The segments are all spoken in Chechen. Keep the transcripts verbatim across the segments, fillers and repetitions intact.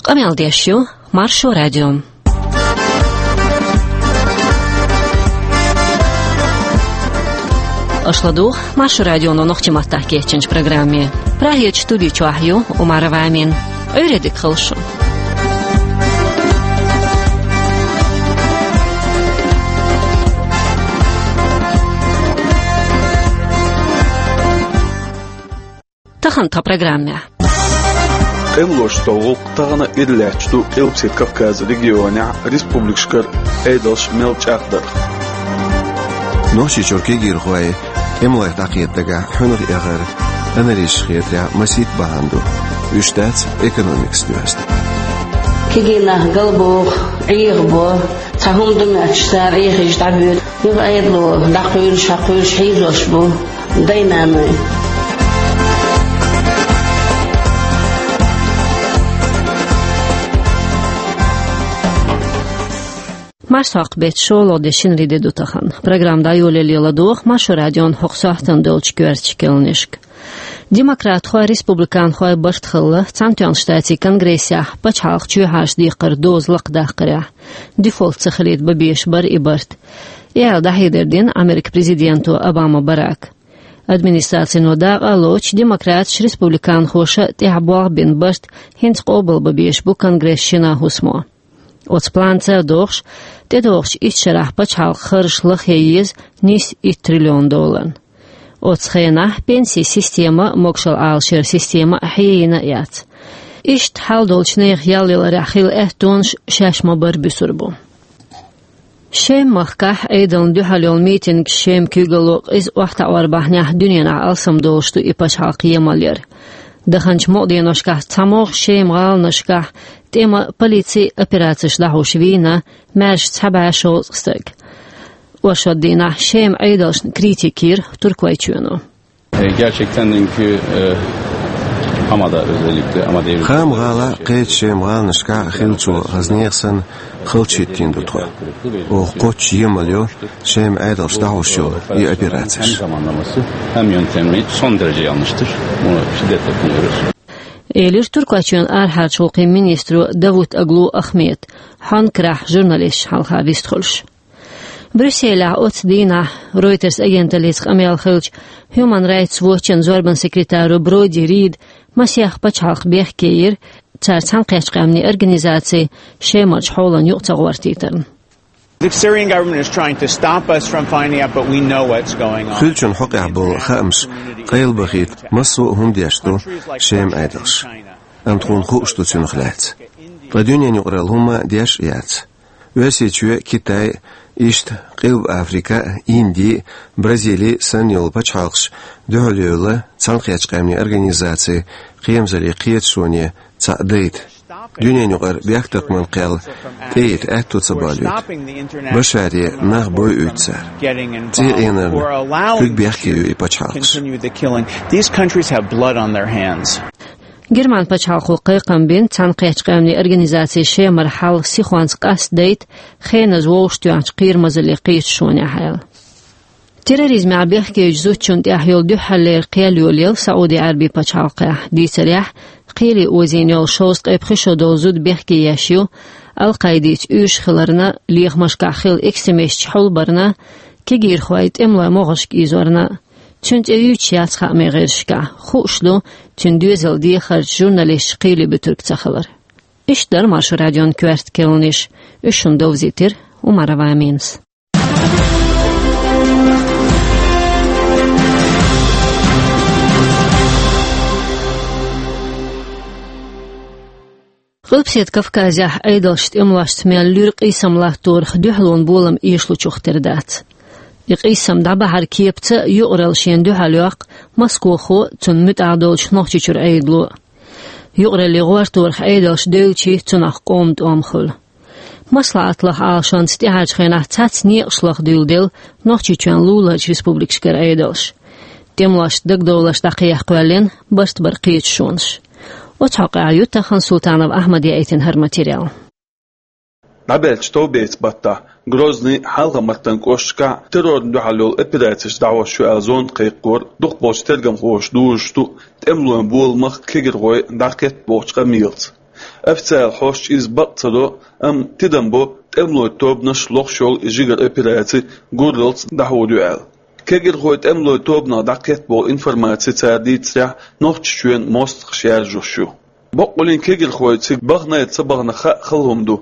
Къамел деш ю Маршо радио. Аша ладугӀу Маршо радионо нохчийн маттахь кечйинчу программе. Прагерчу студи чохь ю Умарова Амина. Ӏуьйре дика хуьлда шун. Тахана тхан программехь. КӀемлошца гӀуллакх тахана ира лаьтташ ду Къилбаседа Кавказан регионехь республикашкара Ӏедалш мел чӀагӀдарх. Нохчийчуьра кегийрхой тӀемалойх дӀакхета дагахь хьуьнах эгӀар аналитикаша хетарехь масийтта бахьана ду. Уьш дац экономикаца доьзна. Кегий нах галбоху, Ӏехабо, цхьа хӀума ду моьттуш цара Ӏехийча дӀабоьду. Юха Ӏедало дӀакхуьйлуш, хьакхуьйлуш хьийзош бу дай-наной. Марсхьокху беттан шолгӀа де, шинарин де ду тахана. Программа дӀайолале ладогӀа Маршо радион хӀокху сохьтана долчу коьртачу керланашка. Демократхой, республиканхой барт хилла Цхьаьнатоьхначу Штатийн Конгрессехь пачхьалкхан чоьхьарчу декхаран доза лакхадаккхарехь. Дефолт ца хилийта бан безаш бара и барт. И аьлла, дӀахьедар дина Америкин президенто Обама Барака. Администрацино дакъа а лоцуш, демократаша, республиканхоша тӀехь болх бина барт хӀинца къобал бан безаш бу Конгрессан шина хӀусамо. Оцу планца а догӀуш, тӀедогӀучу итт шарахь пачхьалкхан харжаш лахъе еза нийсса итт триллион долларна. Оцу хенахь пенсийн система а, могушалла Ӏалашъяран система а хьеяна а яц. Иштта хьал долчу нехан ял яларехь хилла аьттонаш шаьш ма-барра буьсур бу. Шема-махкахь Ӏедална дуьхьал йолу митингаш, Шеман куьйгалло къиза охьатаӀор бахьанехь дуьненахь алсамдолуш ду и пачхьалкх емал яр. Даханчу мукъа деношкахь цхьамогӀа Шеман гӀаланашкахь тӀеман а, полицин а операцеш дӀахьош вийна маьрша цхьа бӀе шовзткъа стаг. Оршот дийнахь Шеман Ӏедалшна критика йира Туркойчоьно. E, gerçekten dünkü, e, Hama'da özellikle, Hama'da Хаам-гӀалахь, кхечу Шеман гӀаланашкахь хиллачо хаза нехан санна халчахӀиттийна ду тхо. Оха кхоччуш емал йо Шеман Ӏедалша дӀахьош йолу и операцеш. Hem zamanlaması hem yöntemi son derece yanlıştır. Bunu şiddetle kınıyoruz. Элира Туркойчоьнан арахьарчу гӀуллакхийн министро Давутоглу Ахмеда, хьонкарахь журналисташна хьалха вистхуьлуш. Брюсселехь оцу дийнахь, Reuters агенталлица къамел хилча, Human Rights Watch-ан зорбанан секретаро Броди Рида масех пачхьалкх бехке йира, цара Цхьаьнакхеттачу Къаьмнийн Организаци Шемарчу хьолана юкъа ца гӀортийтарна. The Syrian government is trying to stop us from finding out, but we know what's going on. Хуьлучун хьокъехь болу хаамаш къайлабахийта массо а хӀума деш ду Шеман Ӏедалша. Амма тхуна хууш ду цунах лаьцна. Ткъа дуьненан юкъаралла хӀумма а деш а яц. Оьрсийчоь а, Китай а, иштта Къилба Африка а, Инди а, Бразили а санна йолу пачхьалкхаш дуьхьал йевлла Цхьаьнакхеттачу Къаьмнийн Организацин кхерамзаллин кхеташоне цхьаъ дайта. Дуьненан юкъара бехктакхаман кхел тӀеэца аьтто ца болуьйту. Башаре нах бойуьйту цара. ЦӀий Ӏенарна куьг бехке ю и пачхьалкхаш. Continue the killing. These countries have blood on their hands. Герман пачхьалкхо кхайкхам бина Цхьаьнакхеттачу Къаьмнийн Организацин Шемара хьал сихонца къастадайта хеназа вовшахтоьхначу кхерамазаллин кхеташонехь аьлла. Терроризмехь бехкечу зудчунна тӀехь йолу дуьххьарлера кхел йолаелла СаӀуди-Ӏаьрбийн пачхьалкхехь. Дийцарехь, кхеле озийна йолу шовзткъе пхи шо долу зуда бехке еш ю, Ал-Къаидица уьйраш хиларна, лехамашкахь хилла экстремисташ хьулбарна, кегийрхой тӀемалойн могӀаршка ийзорна. Цуьнан цӀе юьйцуш яц хаамийн гӀирсашкахь. Хууш ду цуьнан доьзалан дехарчу журналисташа кхеле буьтург ца хилар. Иштта дара Маршо радион коьрта керланаш. Уьш шуна довзийтира Умарова Аминас. Къилбаседа Кавказехь Ӏедалша тӀемалошца мел луьра къийсам латторах дуьхьалонан болам эшалучух тера дац. И къийсам дӀабахьаран кепаца юкъаралла шена дуьхьал йоккху Москохо а, цунна муьтӀахь долчу Нохчийчуьра Ӏедало а. Юкъараллин гӀорторах Ӏедалша девлча, цунах къоман тӀом хуьлу. МаслаӀат лаха Ӏалашонца тӀаьхьарчу хенахь цхьацца некъаш лаха дуьйладелла Нохчийчоьнан луларчу республикашкара Ӏедалша. ТӀемалошца дагадовларш дӀакхехьа кхоьллина барт баран кхеташонаш. Оцу хьокъехь ю тахана Султанов Ахьмада яийтина хӀара материал. ДӀабаьллачу товбеца баттахь Грозный, Хьалха-Мартан кӀошташкахь террорна дуьхьал йолу операцеш дӀахьош ю аьлла зонда кхайкхор дукхахболчу тергамхоша дужуш ду тӀемалойн боламах кегийрхой дӀакхетта бохучу къамелаца. Официалан хьосташа иза бакъ ца до, амма тидам бо тӀемалойн тобанаш лохаш йолу и жигара операци гурралц дӀахьур ю аьлла. Кегирхойн тӀемалойн тобанах дӀакхетта болу информаци цара дийцарехь, Нохчийчоьнан мостагӀаша яржош ю. Баккъалла кегирхой цига бахана а, ца бахана а хаа хала хӀума ду.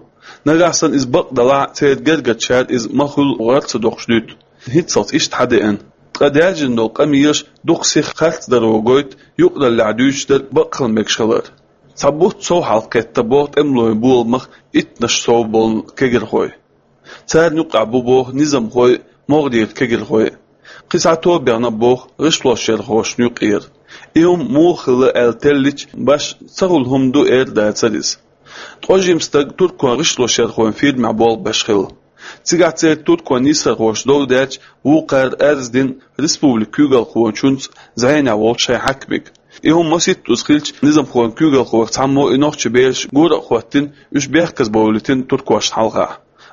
Нагахь санна иза бакъ далахь а, церан гергарчара иза ма-хуьллу гӀар ца доккхуш дуьту. ХӀинццалц иштта хьадеана. Ткъа даьржина долу къамелаш дукха сиха харцдаро гойту юкъараллехь дуьйцуш дерг бакъ хила мегаш хилар. Цхьа бутт сов хьалакхетта боху тӀемалойн боламах иттаннаш сов болу кегирхой. Царна юккъехь бу боху низамхой а, могӀарера кегирхой а. Кхин цхьа тоба бехна боху гӀишлошъярхошна юкъара. И хӀума муха хилла аьлла теллича, башха ца хуьлу хӀума ду эр дацара иза. Ткъа жима стаг туркойн гӀишлошъярхойн фирмехь болх беш хилла. Цигахь церан туркойн нийсархоша дов даьлча, вукхара арз дина республикан куьйгалхочуьнца, зӀенехь волчу шайн хьаькамега. И хӀума масийттаза хилча, низамхойн куьйгалхойх цхьаммо и нохчийн бераш гора а хӀоттийна, уьш бехказбовлийтина туркошна хьалха.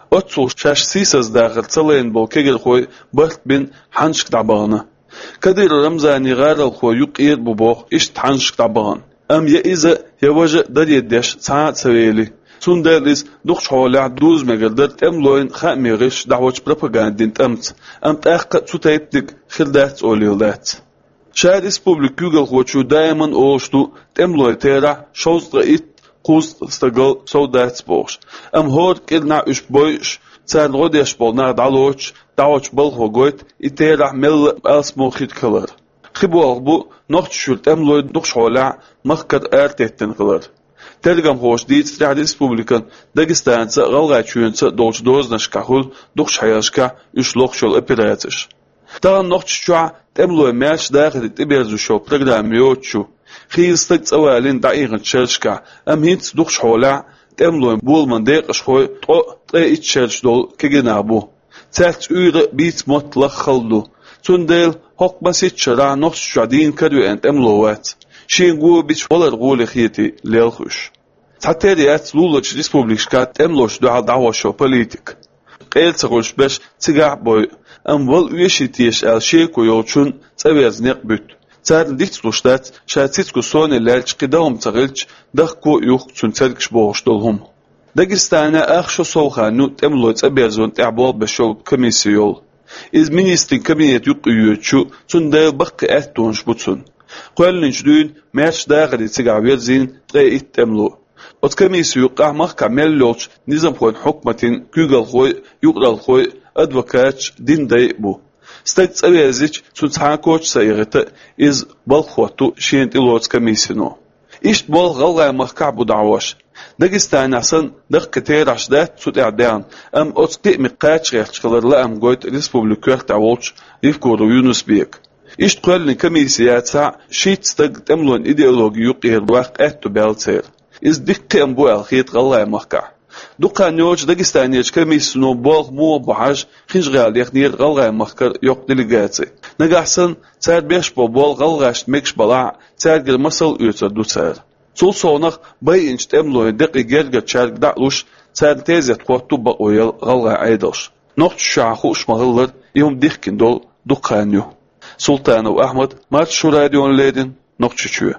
Оццул шаьш сийсаздахар ца лайна болу кегирхой барт бина хьаннашка дӀабахана. Кадыров Рамзанан гӀаролхой юкъара бу боху иштта хьаннашка дӀабахана. Амма я иза, я важа а даре деш цхьа а ца вели. Цундела иза дукхачу хьолехь дуза мегар дара тӀемалойн хаамийн гӀирсаша дӀахьочу пропагандин тӀамца, амма тӀаккха а цу тайпаниг хир дац олийла дац. Ша республикан куьйгалхочо даиман олуш ду, тӀемалойн терахь шовзткъе итт, кхузткъа стагал сов дац бохуш. Амма хӀора кӀирнахь уьш бойуш, царна гӀо деш болу нах дӀалоцуш, дӀахьочу балхо гойту и терахь мелла а алсамо хир хилар. Кхин болх бу Нохчийчуьра тӀемалой дукхачу хьолехь махкара аратеттина хилар. Тергамхоша дийцарехь, республикан Дагестанца а, ГӀалгӀайчоьнца а долчу дозанашкахь хуьлу дукхачу хьелашкахь уьш лохуш йолу операцеш. Тахана Нохчийчохь тӀемалойн маьрша дахаре тӀеберзош йолу программа йоцуш ю. Хийла стаг цӀа валийна дӀаихначу шерашкахь, амма хӀинца дукхачу хьолехь тӀемалойн боламан декъашхой ткъо а, ткъе итт шераш долу кегий нах бу. Цаьрца уьйр а, бийца мотт а лаха хала ду. Цундела хӀокху масийтта шарахь Нохчийчохь дийна каравеана тӀемало вац. Шена го бича валар гӀоле хетий, лелха уьш. Цхьатерра яц луларчу республикашкахь тӀемалошна дуьхьал дӀахьош йолу политика. Къера ца хуьлуш берш цигахь а бойу, амма вала оьший теша аьлла шеко йолчунна цӀа верза некъ буьту. Царна дицлуш дац, ша цициг соне лаьлча, кхин дан хӀума ца хилча, дахко а юхку цуьнан цергаш бохуш долу хӀума. Дагестанехь ах шо сов хан ю тӀемалойн цӀа берзонна тӀехь болх беш йолу комисси йолу. Иза министрийн кабинет юкъа йоьдуш ю, цундела баккхий аьттонаш бу цуьнан. Кхоьллинчу дуьйна маьрша дахаре цигахь верзийна ткъе итт тӀемало. Оцу комиссин юккъехь махкахь мел йолчу низамхойн хьукматийн куьйгалхой а, юкъаралхой а, адвокаташ а, динан дай а бу. Стаг цӀа верзича, цунна цхьа а коча ца эгӀита, иза балха хӀотту шена тӀелоцу комиссино. Иштта болх ГӀалгӀайн махкахь а бу дӀахьош. Дагестанехь санна, даккхий терахьаш дац цу тӀехь даьхна, амма оцу кхиамех кхача гӀерташ хилар лаам гойту республикан коьртехь волчу Евкуров Юнус-Бека. Иштта кхоьллина комисси яцахь а, шийтта стаг тӀемалойн идеологи юкъера ваккха аьтто баьлла церан. Иза дика кхиам бу аьлла хета ГӀалгӀайн махкахь. Дукха хан йоцуш Дагестанерчу комиссино болх муха бу хьажа, ХӀинжа-ГӀала яхнера ГӀалгӀайн махкара йоккха делегаци. Нагахь санна, цара беш болу болх гӀалгӀашна мегаш балахь а, цаьргара масал оьцур ду цара. Цул совнаха, байинчу тӀемалойн декъий гергарчаьрга дӀа а луш, царна тезет хӀотту бакъо яла гӀалгӀайн Ӏедалша. Нохчийчохь хууш ма-хиллара, и хӀума дихкина долу дукха хан ю. Султанов Ахьмад, Маршо радиона леррина, Нохчийчоь.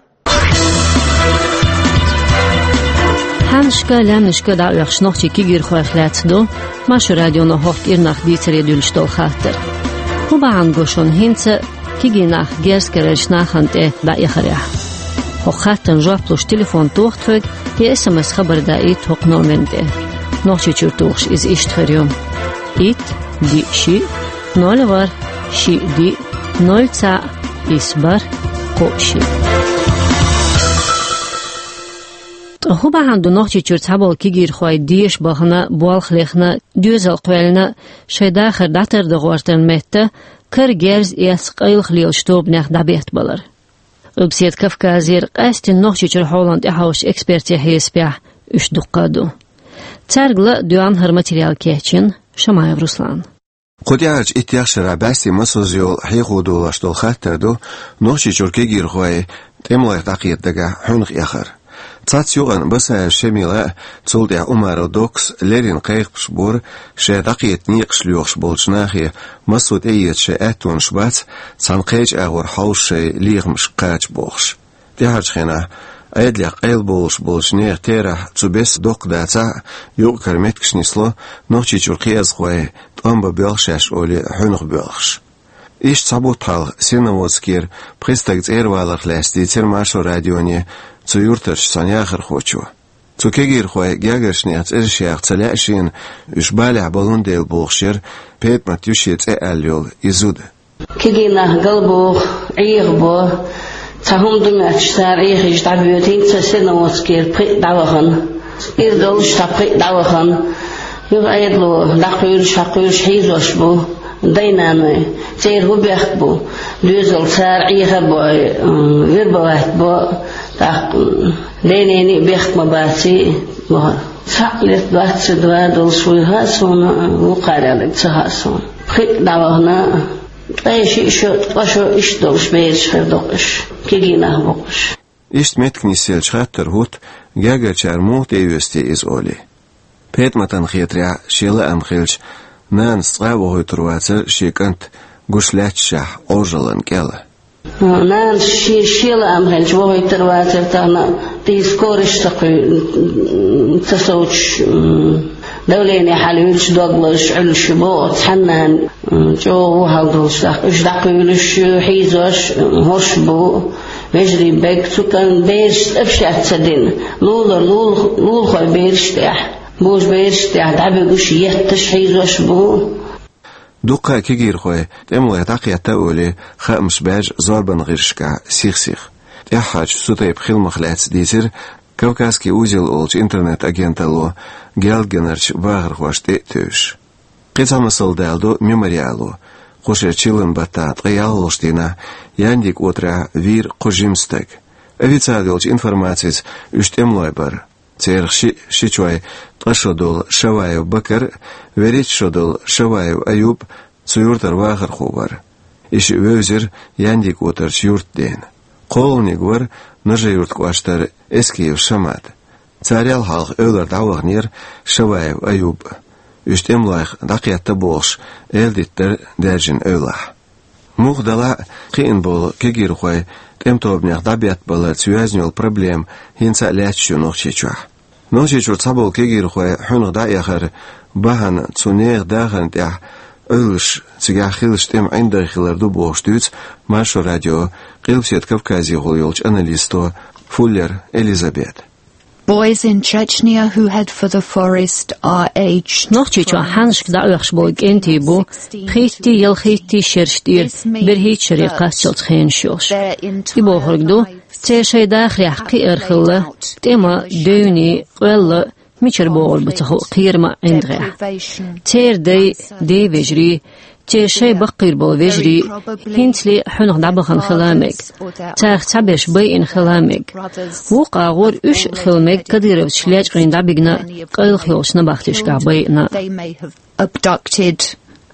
Хьаннашка, лаьмнашка дӀаоьхуш нохчийн кегийрхойх лаьцна ду Маршо радионо хӀокху кӀирнах дийцаре дуьллуш долу хаттар. ХӀун бахьана го шуна хӀинца кегий нах герз карарчу нахана тӀе дӀаэхарехь? ХӀокху хаттарна жоп луш телефон тоха тхоьга, я эс эм эс хабар даийта хӀокху номерна тӀе. Нохчийчуьра тухуш иза иштта хир ю: итт, диъ, шиъ, ноль, ворхӀ, шиъ, диъ, ноль, цхьаъ, исс, бархӀ, кхоъ, шиъ. Ткъа хӀун бахьана ду Нохчийчуьра цхьаболу кегийрхой деша бахана, болх лехна, доьзал кхоьллина, шайн дахар дӀатардан гӀортаран метта, кара герз эцна къайлаха лелачу тобанех дӀабеттабалар? Къилбаседа Кавказера, къаьсттина Нохчийчуьра хьолана тӀехьовсучу экспертийн хьесапехь, уьш дуккха а ду. Цаьрга ла а доьгӀна хӀара материал кечйина Шамаев Руслана. Кху тӀаьхьарчу иттех шарахь бӀаьстенан массо а йолу хьехо долош долу хаттар ду Нохчийчуьра кегийрхой тӀемалойх дӀакхета дагахь хьуьнах эхар. Цхьацца юкъана Басаев Шамила а, цул тӀаьхьа Умаров Доккас а леррина кхайкхамаш бора, шаьш дӀакхета некъаш лоьхуш болчу нахе массо а тӀеэца шайн аьттонаш бац, цхьана кхечу агӀор хьовса шайн лехамашка кхача бохуш. ТӀаьхьарчу хенахь Ӏедалехь къайлабовлуш болчу нехан терахь цу бесса доккха дацахь а, юкъ-кара меттигаш нисло, Нохчийчуьра кхиазхой тӀом бан боьлху шаьш олий, хьуьнах боьлхуш. Иштта цхьа бутт хьалха Серноводскера пхи стаг цӀера валарх лаьцна дийцира Маршо радионе цу юьртарчу цхьана яхархочо. Цу кегийрхойн гергарчу нехан цӀераш яха ца лаьа шена, уьш балехь балун дела бохуш яра ПетӀамат ю шен цӀе аьлла йолу и зуда. Кегий нах галбоху, Ӏехабо, цхьа хӀума ду моьттуш цара Ӏехийча дӀабоьду, хӀинца Серноводскера пхиъ дӀавахана, иза долуш цхьа пхиъ дӀавахана. Юха Ӏедало дӀакхуьйлуш, хьакхуьйлуш хьийзош бу дай-наной. Церан хӀун бехк бу? Доьзал цара Ӏеха а бой, м, вербовать бо, тӀаккха, м, ден-ненан а бехк ма баций, боху. Цхьаъ лет двадцать два долуш вуй хаьа суна, вукхарел ца хаьа суна. Пхиъ дӀавахана, ткъе шиъ шо, ткъа шо иштта долуш бераш хир доккхуш, кегий нах боккхуш. Иштта меттиг нисъелча хаттар хӀутту, гергарчара муха тӀеоьцу те иза олий. ПетӀаматан хетарехь, шен лаам хилча, нанас цкъа а вохуьйтур вацара шен кӀант гуш лаьтташехь Ӏожаллин кӀел. Нанас шен, шен лаам хилча вохуьйтур вацара тахана, тӀе скораш ца кхуьу-, ца совцуш, м, давление хьалавуьлуш, дог лозуш Ӏуьллуш бу оцу цхьана нана, м, чӀогӀа вон хьал долуш, тӀаккха уьш дӀакхуьйлуш, хьийзош, м, хӀорш бу. Вежарий бегга цу кӀант бераш тӀе а шаьш ца дина, лулара лул-, лулахой бераш тӀехь, божа бераш тӀехь дӀабуьгуш, етташ, хьийзош бу. Дуккха а кегийрхой тӀемалойх дӀакхетта олий, хаамаш баьржа зорбанан гӀирсашкахь сих-сиха. ТӀаьххьарчу цу тайпа хиламах лаьцна дийцира «Кавказский узел» олучу интернет-агенталло Геалгенарчу бахархошна тӀе а тевжаш. Кхин цхьа масал даладо «Мемориало». Кху шеран чиллан баттахь ткъе ялхалгӀачу дийнахь Яндиг отарахь вийра кхо жима стаг. Официалан йолчу информацица уьш тӀемалой бара. Церах шиъ, ши чой, ткъа шо долу Шаваев Бакар а, вуьрхӀитта шо долу Шаваев Аюб а цу юьртара вахархо вара. И шиъ вевзира Яндиг отарчу юьртдена. КхоалгӀаниг вара Нажи-Юьртан кӀоштара Эскиев Шамат. Царел хьалха эвлара дӀаваханера Шаваев Аюб а. Уьш тӀемалойх дӀакхетта бохуш, эладита дара даьржина эвлахь. Муха делахь а, кхиъна болу кегийрхой тӀеман тобанех дӀабеттабаларца йоьзна йолу проблема хӀинца а лаьтташ ю Нохчийчохь. Нохчийчуьра цхьаболу кегийрхой хьуьнах дӀаэхаран бахьана цу нехан дахарна тӀехь Ӏуьллуш, цигахь хиллачу тӀеман ӀиндагӀ хилар ду бохуш дуьйцу Маршо радион Къилбаседа Кавказехула йолчу аналисто Фуллер Элизабета. Boys in Chechnya who head for the forest are aged Нохчийчохь хьаннашка дӀаоьхуш болу кӀентий бу пхийтта, ялхитта шераш тӀера, берхӀитта шаре кхаччалц хенаш йолуш. И бохург ду, церан шайн дахарехь кхиар хилла, тӀеман, девнийн, къоьллин, мичара богӀур бу ца хуу кхеран ӀиндагӀехь. Церан дай, ден вежарий, церан шайн баккхийра болу вежарий хӀинцале хьуьнах дӀабахана хила мега. Царах цхьаберш байина хила мега. Вукху агӀор уьш а хила мега кадыровцаш лечкъийна дӀабигна къайлаха йолчу набахтешкахь байина. They may have abducted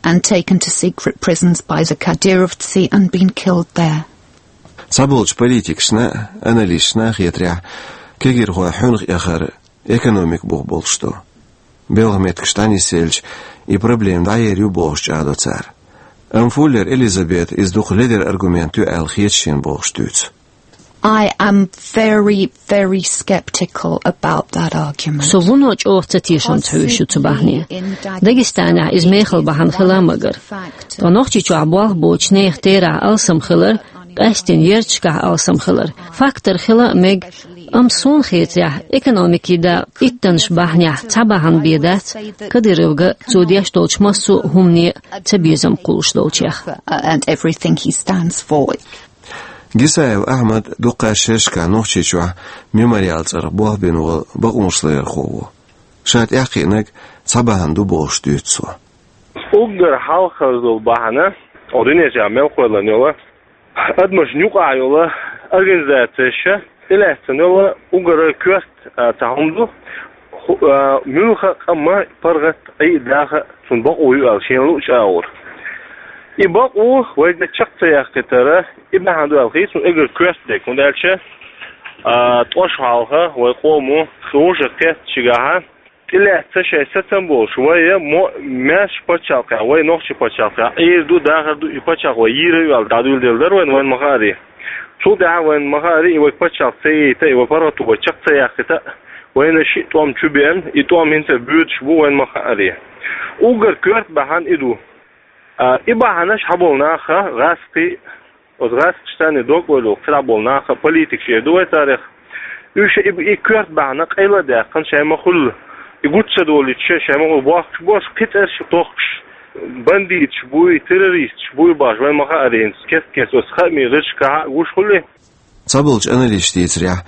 and taken to secret prisons by the Kadyrovtsi and been killed there. Цхьаболчу политикашна а, аналисташна а хетарехь, кегийрхой хьуьнах эхар экономика бух болуш ду. Белхан меттигаш дӀанисъелча, и проблема дӀаер ю бохуш чӀагӀдо цара. Амма Фуллер Элизабета иза дукха ледара аргумент ю аьлла хета шена бохуш дуьйцу. I am very, very skeptical about that argument. Со вуно чӀогӀа ца тешамца хьоьжуш ю цу бахьане. Дагестанехь иза мехала бахьана хила а магара. Ткъа Нохчийчохь болх боцучу нехан терахь алсам хилар, къаьсттина ярташкахь алсам хилар фактор хила а мега, амма суна хетарехь, экономикин дакъа иттанаш бахьанехь цхьа бахьана бен дац Кадыровга, цо деш долчу массо а хӀумане а цабезам кхуллуш долчех. And everything he stands for. Гисаев Ахьмад дуккха а шерашкахь Нохчийчохь «Мемориал» цӀарах болх бина волу бакъонашларъярхо ву. Ша тӀаьхьакхиънарг цхьа бахьана ду бохуш дуьйцу цо. Уггар хьалхара долу бахьана, оха дуьнен чохь мел кхоьллина йолу, адамашна юкъахь йолу организацеш, тӀелаьцна йолу уггар коьрта, а, цхьа хӀума ду, ху-, а, муьлхха а къаман паргӀат, Ӏий а, даха а цунна бакъо ю аьлла шена луъучу агӀор. И бакъо вайга чекх ца яккхийтара, и бахьана ду аьлла хета суна уггар коьрта дерг, хӀунда аьлча, а, ткъа шо хьалха вай къомо, ткъа вовшах кхеттачигахьа, тӀелаьцна шайн сацам болуш, вай мо-, маьрша пачхьалкхехь, вай нохчийн пачхьалкхехь, Ӏийр ду, дахар ду, и пачхьалкх вай йийр ю аьлла дӀадуьйладелла дара вайна, вайна ма-хаъара. Цул тӀаьхьа вайна ма хаъара, и вай паччахьалкхе ца яйта, и вай паргӀато вай чакх ца яьккхийта, вайна шиъ тӀом чу беана, и тӀом хӀинца а боьдуш бу, вайна ма хаъара. Уггар коьрта бахьан и ду. А, и бахьанаш хьаболу наха, гӀазкхий, оцу гӀазкхашца дог ойла йолу цхьа болу наха, политикаш эр ду вай царах. Уьш и, и коьрта бахьана къайла а даьккхина, шайн ма хуьллу. И гучу ца долуьйтуш, шайн ма хуьллу бохкуш болуш, кхин цӀераш тохкуш, бандиташ буй, террористаш буй бохуш, вайна ма хаъара, хӀинца кест-кеста оцу хаамийн гӀирсашкахь а гуш хуьлу. Цхьаболчу аналисташа дийцарехь,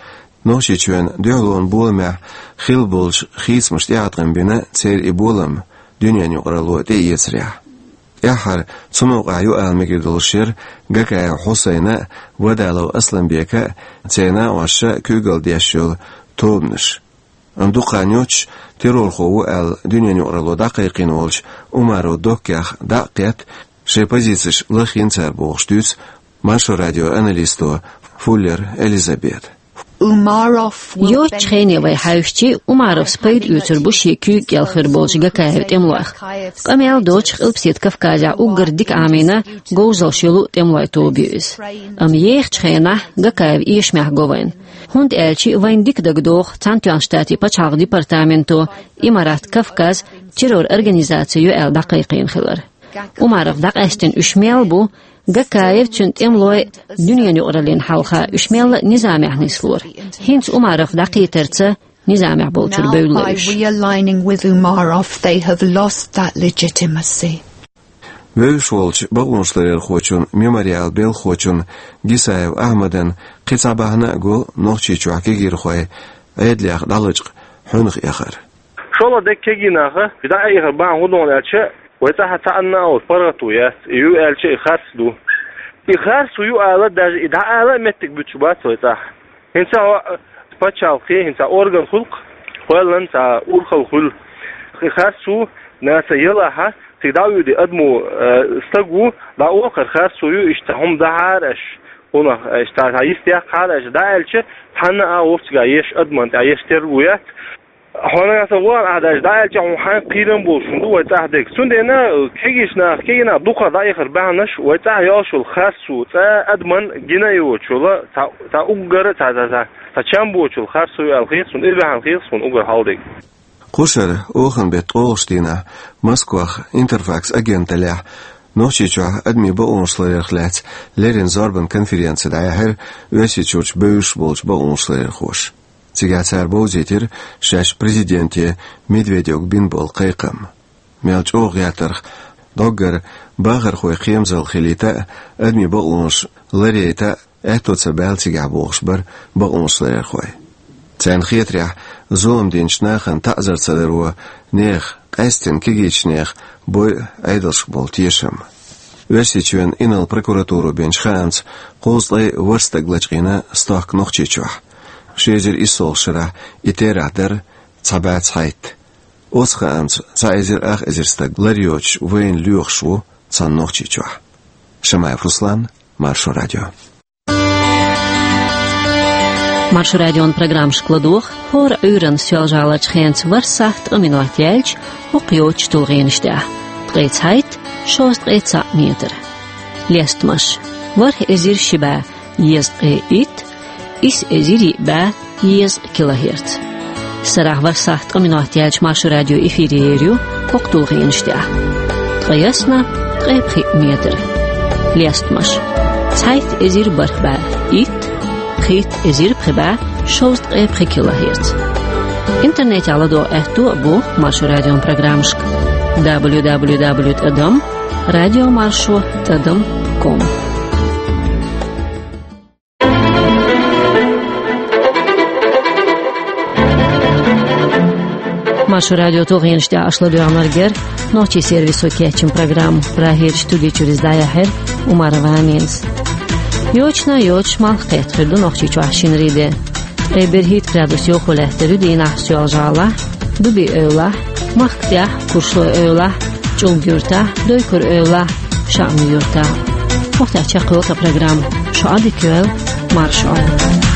Нохчийчоьнан дуьхьалонан боламехь хилла болчу хийцамаша тӀеӀаткъам бина церан и болам дуьненан юкъаралло тӀеэцарехь. ТӀаьххьара цу новкъахь ю ала мегар долуш яра Гакаев Хьусайна а, Вадалов Асланбека а, церан накъосташа а куьйгалла деш йолу тобанаш. Амма дукха хан йоццуш террорхо ву аьлла дуьненан юкъаралло дӀакхайкхийна волчу Умаров Доккех дӀа а кхетта, шайн позицеш лахйина цара бохуш дуьйцу Маршо радион аналисто Фуллер Элизабета. Йоццачу хене вай хьаьвсичи, Умаровс пайда оьцур бу шен куьйга кӀел хир болчу Гакаевн тӀемалойх. Къамел доцуш Къилбаседа Кавказехь уггар дика Ӏамийна, говзалш йолу тӀемалойн тоба ю иза. Амма ехачу хенахь Гакаев эшамехь го вайна. ХӀунда аьлча вайна дика дагадогӀу Цхьаьнатоьхна Штатийн пачхьалкхан департаменто Имарат Кавказ террор организаци ю аьлла дӀакхайкхийна хилар. Умаров дӀакъаьстина уьш мел бу, Гакаев, цуьнан тӀемалой дуьненан юкъараллина хьалха уьш мелла а низамехь нислора. ХӀинца Умаров дӀакхетарца низамехь болчуьра бевлла уьш. Realigning with Umarov, they have lost that legitimacy. Вевзаш волчу бакъонашларъярхочун «Мемориалан» белхахочун Гисаев Ахьмадан кхин цхьа бахьана а го Нохчийчохь кегийрхой Ӏедалех дӀалачкъа хьуьнах эхар. ШолгӀа дерг кегий наха и дӀаэхар бахьана хӀун ду аьлча, вай цӀахь цхьанна а оцу паргӀато яц, и ю аьлча и харц ду. И харц ю ала, даже и дӀаала а меттиг буьтуш бац вай цӀахь. ХӀинца хьо пачхьалкхе, хӀинца орган хуьлу-кх, кхоьллина цхьа урхалла хуьлу. И харц ю нахаца ялахь, цига дӀа а вуьйди адамо, э, стаг ву, дӀаохар харц ю, иштта хӀума дахьара аша, хӀунах аша цхьа, цхьа йист яккхахьара аша, дӀа аьлча, цхьанна а вовшахтоьхна еш адамна тӀехь еш терго яц. Хьо нахаца вон а даже дӀа аьлча, хьуна хьайн кхерам болуш хӀума ду вай цӀахь дерг. Цундела кегийчу наха, кегий наха дукха дӀаэхар бахьанаш вай цӀахь йолуш йолу харц ю, цкъа а адамна гина а йоцуш йолу, цхьа, цхьа уггар а, цхьа, цхьа, цхьа, цхьа чам боцуш йолу харц ю аьлла хета суна, и бахьана хета суна уггар хьалдерг. Кху шарахь оханан беттан ткъолгӀачу дийнахь Москвахь Интерфакс агенталлехь Нохчийчохь адамийн бакъонашларъярх лаьцна леррина зорбан конференци дӀаяьхьира Оьрсийчуьрчу бевзаш болчу бакъонашларъярхоша. Цигахь цара бовзийтира шаьш президенте Медведевга бина болу кхайкхам. Мел чӀогӀа гӀертарх, доггара бахархойн кхерамзалла хилийта а, адамийн бакъонаш ларъяйта а аьтто ца баьлла цигахь богӀуш бара бакъонашларъярхой. Царна хетарехь, зулам динчу нахана таӀзар ца даро нехан, къаьсттина кегийчу нехан, бойу Ӏедалшка болу тешам. Оьрсийчоьнан инарла прокуратуро бинчу хаамца, кхузткъе ворхӀ стаг лачкъийна стохка Нохчийчохь. Ши эзар иссолгӀачу шарахь и терахь дара цхьа бӀе цхьайтта. Оцу хаамца цхьа эзар ах эзар стаг лар йоцуш вайна лоьхуш ву цхьана Нохчийчохь. Шамаев Руслан, Маршо радио. Маршо радион программашка ладогӀа хӀора Ӏуьйранна Соьлжа-ГӀаларчу хенца ворхӀ сахьт ткъа минот яьлча хӀокху йоцчу тулгӀенаш тӀехь: ткъе цхьайтта, шовзткъе цхьаъ метр. Лестамаш: ворхӀ эзар ши бӀе езткъе итт, исс эзар йиъ бӀе езткъа килогерц. Сарахь ворхӀ сахьт ткъа минот яьлча Маршо радио эфире ер ю хӀокху тулгӀенаш тӀехь: ткъе ялх, ткъе пхиъ метр. Лестамаш: цхьайтта эзар бархӀ бӀе итт, пхийтта эзар пхи бӀе шовзткъе пхи килогерц. Интернетехь ладогӀа аьтто а бу Маршо радион программашка: дабл ю дабл ю дабл ю тӀадам радиомаршо тӀадам ком. Маршо радион тулгӀенаш тӀехь аша ладоьгӀнарг яра нохчийн сервисо кечйина программа. Прагерчу студи чуьра иза дӀаяьхьира Умарова Аминас. Йочана а йоцуш малх кхетта хир ду Нохчийчохь шинарин де. Ткъе берхӀитта градус йовхо лаьттар ю дийнахь Соьлжа-ГӀалахь, Дуби-Эвлахь, Махка тӀехь, Куршлой-Эвлахь, ЧӀулга-Юьртахь, Дойкур-Эвлахь, Шааман-Юьртахь. ХӀокху тӀехь чекхйолу тхан программа. Шу Ӏадика йойла, марша Ӏойла.